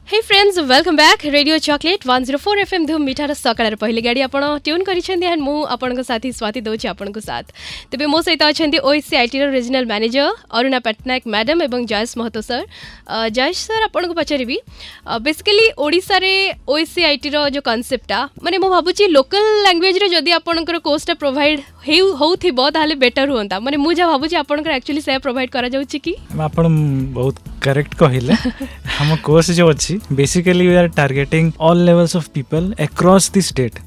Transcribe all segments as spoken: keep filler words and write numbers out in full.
Hey friends welcome back Radio Choklate one zero four FM ଧୁମ୍ ମିଠାର ସକାଳର ପହିଲି ଗାଡ଼ି ଆପଣ ଟ୍ୟୁନ୍ କରିଛନ୍ତି ଆଣ୍ଡ ମୁଁ ଆପଣଙ୍କ ସାଥୀ ସ୍ୱାତି ଦେଉଛି ଆପଣଙ୍କୁ ସାଥ ତେବେ ମୋ ସହିତ ଅଛନ୍ତି ଓଏସସିଆଇଟିର regional manager Aruna Pattanaik madam ଏବଂ ଜୟେଶ ମହତୋ ସାର୍ ଜୟେଶ ସାର୍ ଆପଣଙ୍କୁ ପଚାରିବି ବେସିକାଲି ଓଡ଼ିଶାରେ ଓଏସସିଆଇଟିର ଯେଉଁ କନସେପ୍ଟଟା ମାନେ ମୁଁ ଭାବୁଛି ଲୋକାଲ ଲାଙ୍ଗୁଏଜରେ ଯଦି ଆପଣଙ୍କର କୋର୍ସଟା ପ୍ରୋଭାଇଡ଼ ହେଉ ହେଉଥିବ ତାହେଲେ ବେଟର ହୁଅନ୍ତା ମାନେ ମୁଁ ଯାହା ଭାବୁଛି ଆପଣଙ୍କର ଆକ୍ଚୁଆଲି ସେୟା ପ୍ରୋଭାଇଡ଼ କରାଯାଉଛି କି ଆପଣ ବହୁତ କରେକ୍ଟ କହିଲେ ଆମ କୋର୍ସ ଯେଉଁ ଅଛି basically we are targeting all levels of people across the state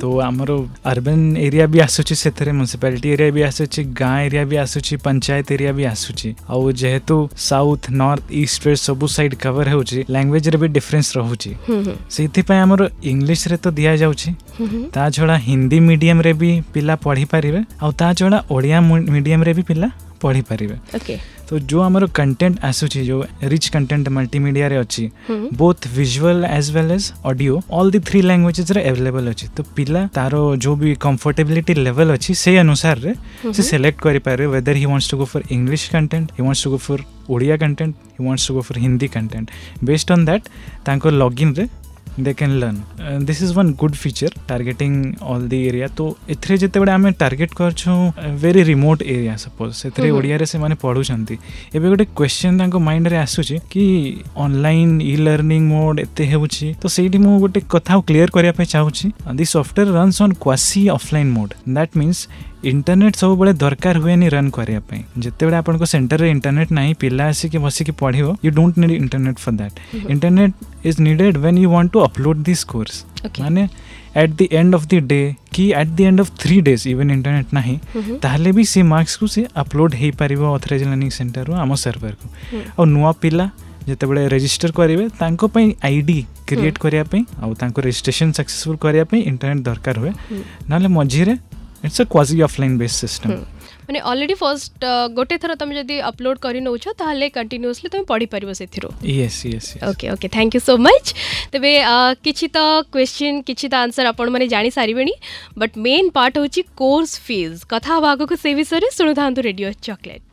ତ ଆମର ଅର୍ବାନ୍ ଏରିଆ ବି ଆସୁଛି ସେଥିରେ ମ୍ୟୁନିସିପାଲିଟି ଏରିଆ ବି ଆସୁଛି ଗାଁ ଏରିଆ ବି ଆସୁଛି ପଞ୍ଚାୟତ ଏରିଆ ବି ଆସୁଛି ଆଉ ଯେହେତୁ ସାଉଥ ନର୍ଥ ଇଷ୍ଟ ୱେଷ୍ଟ ସବୁ ସାଇଡ୍ କଭର ହେଉଛି ଲାଙ୍ଗୁଏଜରେ ବି ଡିଫରେନ୍ସ ରହୁଛି ସେଇଥିପାଇଁ ଆମର ଇଂଲିଶରେ ତ ଦିଆଯାଉଛି ତା ଛଡ଼ା ହିନ୍ଦୀ ମିଡ଼ିୟମରେ ବି ପିଲା ପଢ଼ିପାରିବେ ଆଉ ତା ଛଡ଼ା ଓଡ଼ିଆ ମିଡ଼ିୟମରେ ବି ପିଲା ପଢ଼ିପାରିବେ ଓକେ ତ ଯେଉଁ ଆମର କଣ୍ଟେଣ୍ଟ ଆସୁଛି ଯେଉଁ ରିଚ୍ କଣ୍ଟେଣ୍ଟ ମଲ୍ଟିମିଡ଼ିଆରେ ଅଛି both visual as well as audio all the three ଲାଙ୍ଗୁଏଜେସରେ available ଅଛି ତ ପିଲା ତାର ଯେଉଁ ବି କମ୍ଫର୍ଟେବିଲିଟି ଲେଭେଲ୍ ଅଛି ସେଇ ଅନୁସାରରେ ସେ ସିଲେକ୍ଟ କରିପାରିବେ whether he wants to go for English content he wants to go for Odia content he wants to go for Hindi content based on that ତାଙ୍କ ଲଗ୍ଇନ୍ରେ they can learn uh, this is one good feature targeting all the area ତ ଏଥିରେ ଯେତେବେଳେ ଆମେ target କରୁଛୁ very remote area suppose ସେଥିରେ ଓଡ଼ିଆରେ ସେମାନେ ପଢ଼ୁଛନ୍ତି ଏବେ ଗୋଟେ କ୍ୱେଶ୍ଚନ୍ ତାଙ୍କ ମାଇଣ୍ଡରେ ଆସୁଛି କି ଅନଲାଇନ୍ ଇ ଲର୍ଣ୍ଣିଂ ମୋଡ୍ ଏତେ ହେଉଛି ତ ସେଇଠି ମୁଁ ଗୋଟେ କଥା କ୍ଲିୟର କରିବା ପାଇଁ ଚାହୁଁଛି the software runs on quasi offline mode that means internet ସବୁବେଳେ ଦରକାର ହୁଏନି ରନ୍ କରିବା ପାଇଁ ଯେତେବେଳେ ଆପଣଙ୍କ ସେଣ୍ଟରରେ ଇଣ୍ଟରନେଟ୍ ନାହିଁ ପିଲା ଆସିକି ବସିକି ପଢ଼ିବ you don't need internet for that internet is needed when you want to upload this course ମାନେ at the end of the day କି at the end of three days even internet ନାହିଁ ତାହେଲେ ବି ସେ ମାର୍କସକୁ ସେ ଅପଲୋଡ଼ ହେଇପାରିବ authorise learning ସେଣ୍ଟରରୁ ଆମ ସର୍ଭରକୁ ଆଉ ନୂଆ ପିଲା ଯେତେବେଳେ ରେଜିଷ୍ଟର କରିବେ ତାଙ୍କ ପାଇଁ I D create କରିବା ପାଇଁ ଆଉ ତାଙ୍କ ରେଜିଷ୍ଟ୍ରେସନ ସକ୍ସେସଫୁଲ୍ କରିବା ପାଇଁ ଇଣ୍ଟରନେଟ୍ ଦରକାର ହୁଏ ନହେଲେ ମଝିରେ it's a quasi offline based system ମାନେ ଅଲରେଡ଼ି ଫର୍ଷ୍ଟ ଗୋଟେ ଥର ତମେ ଯଦି ଅପଲୋଡ଼ କରି ନେଉଛ ତାହେଲେ କଣ୍ଟିନ୍ୟୁଅସଲି ତମେ ପଢ଼ିପାରିବ ସେଥିରୁ Yes yes Okay okay thank you so much ତେବେ କିଛି ତ କ୍ୱେଶ୍ଚିନ୍ କିଛି ତ ଆନ୍ସର୍ ଆପଣମାନେ ଜାଣିସାରିବେଣି ବଟ୍ ମେନ୍ ପାର୍ଟ ହେଉଛି କୋର୍ସ ଫିଜ୍ କଥା ହେବା ଆଗକୁ ସେ ବିଷୟରେ ଶୁଣୁଥାନ୍ତୁ ରେଡ଼ିଓ ଚକୋଲେଟ୍